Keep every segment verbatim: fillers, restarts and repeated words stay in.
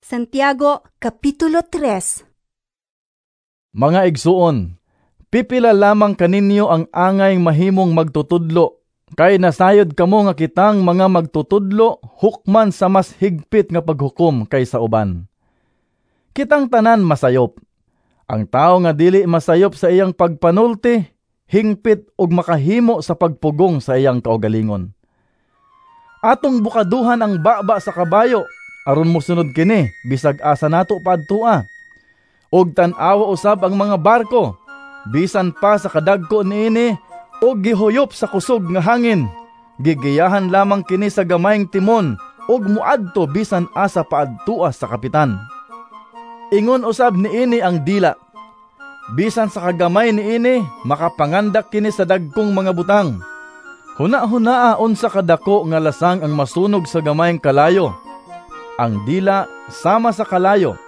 Santiago Kapitulo tres. Mga igsuon, pipila lamang kaninyo ang angay mahimong magtutudlo, kay nasayod kamo nga kitang mga magtutudlo hukman sa mas higpit nga paghukom kaysa uban. Kitang tanan masayop. Ang tawo nga dili masayop sa iyang pagpanulti, hingpit og makahimo sa pagpugong sa iyang kaugalingon. Atong bukaduhan ang baba sa kabayo aron mosunod kini bisag asa nato paadtua. Og tan-awa usab ang mga barko, bisan pa sa kadagko niini og gihuyop sa kusog nga hangin, gigiyahan lamang kini sa gamayng timon og moadto bisan asa paadtua sa kapitan. Ingon usab niini ang dila. Bisan sa kagamay niini, makapangandak kini sa dagkong mga butang. Huna-hunaa unsa kadako nga lasang ang masunog sa gamayng kalayo. Ang dila sama sa kalayo.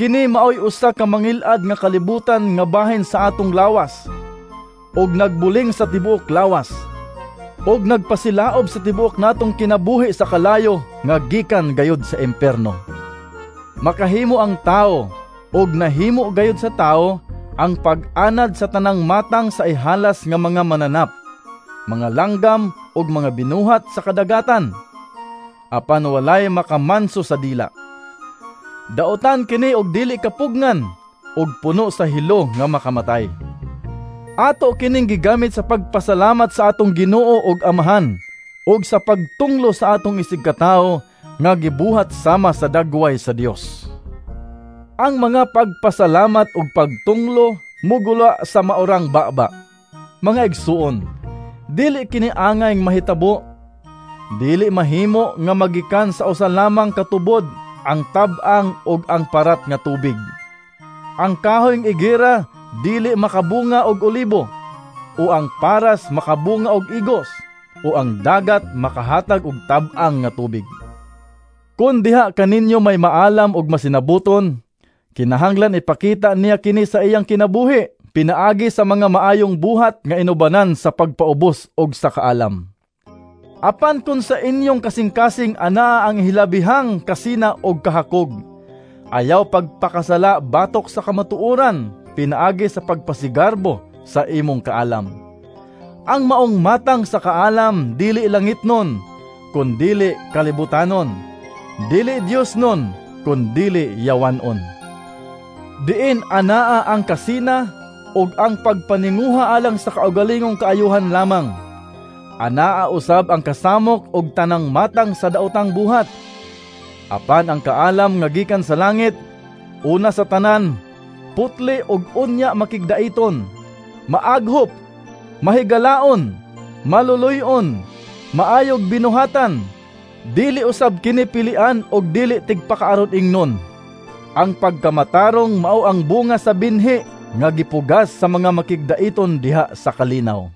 Kini maoy usa ka mangil-ad nga kalibutan nga bahin sa atong lawas, og nagbuling sa tibuok lawas, og nagpasilaob sa tibuok natong kinabuhi sa kalayo nga gikan gayud sa impierno. Makahimo ang tawo, og nahimo gayud sa tawo ang pag-anad sa tanang matang sa ihalas nga mga mananap, mga langgam ug mga binuhat sa kadagatan. Apan walay makamanso sa dila. Daotan kini og dili kapugnan ug puno sa hilo nga makamatay. Ato kining gigamit sa pagpasalamat sa atong Ginoo ug Amahan ug sa pagtunglo sa atong isigkatawo nga gibuhat sama sa dagway sa Dios. Ang mga pagpasalamat ug pagtunglo mugula sa maorang baba. Mga igsuon, dili kini angay mahitabo. Dili mahimo nga magikan sa usa lamang ka tubod ang tab-ang ug ang parat nga tubig. Ang kahoy nga igera dili makabunga og olibo, o ang paras makabunga og igos, o ang dagat makahatag og tab-ang nga tubig. Kun diha kaninyo may maalam ug masinabuton, kinahanglan ipakita niya kini sa iyang kinabuhi pinaagi sa mga maayong buhat nga inubanan sa pagpaubos ug sa kaalam. Apan kun sa inyong kasing-kasing anaa ang hilabihang kasina og kahakog, ayaw pagpakasala batok sa kamatuoran pinaagi sa pagpasigarbo sa imong kaalam. Ang maong matang sa kaalam dili langitnon, kun dili kalibutanon, dili Diosnon, kun dili yawanon. Diin anaa ang kasina ug ang pagpaninguha alang sa kaugalingong kaayuhan lamang, anaa usab ang kasamok ug tanang matang sa daotang buhat. Apan ang kaalam nga gikan sa langit, una sa tanan, putli ug unya makigdaiton, maaghop, mahigalaon, maluluy-on, maayog binuhatan, dili usab kini pilian ug dili tigpakaaron ingnon. Ang pagkamatarong mao ang bunga sa binhi nga gipugas sa mga makigdaiton diha sa kalinaw.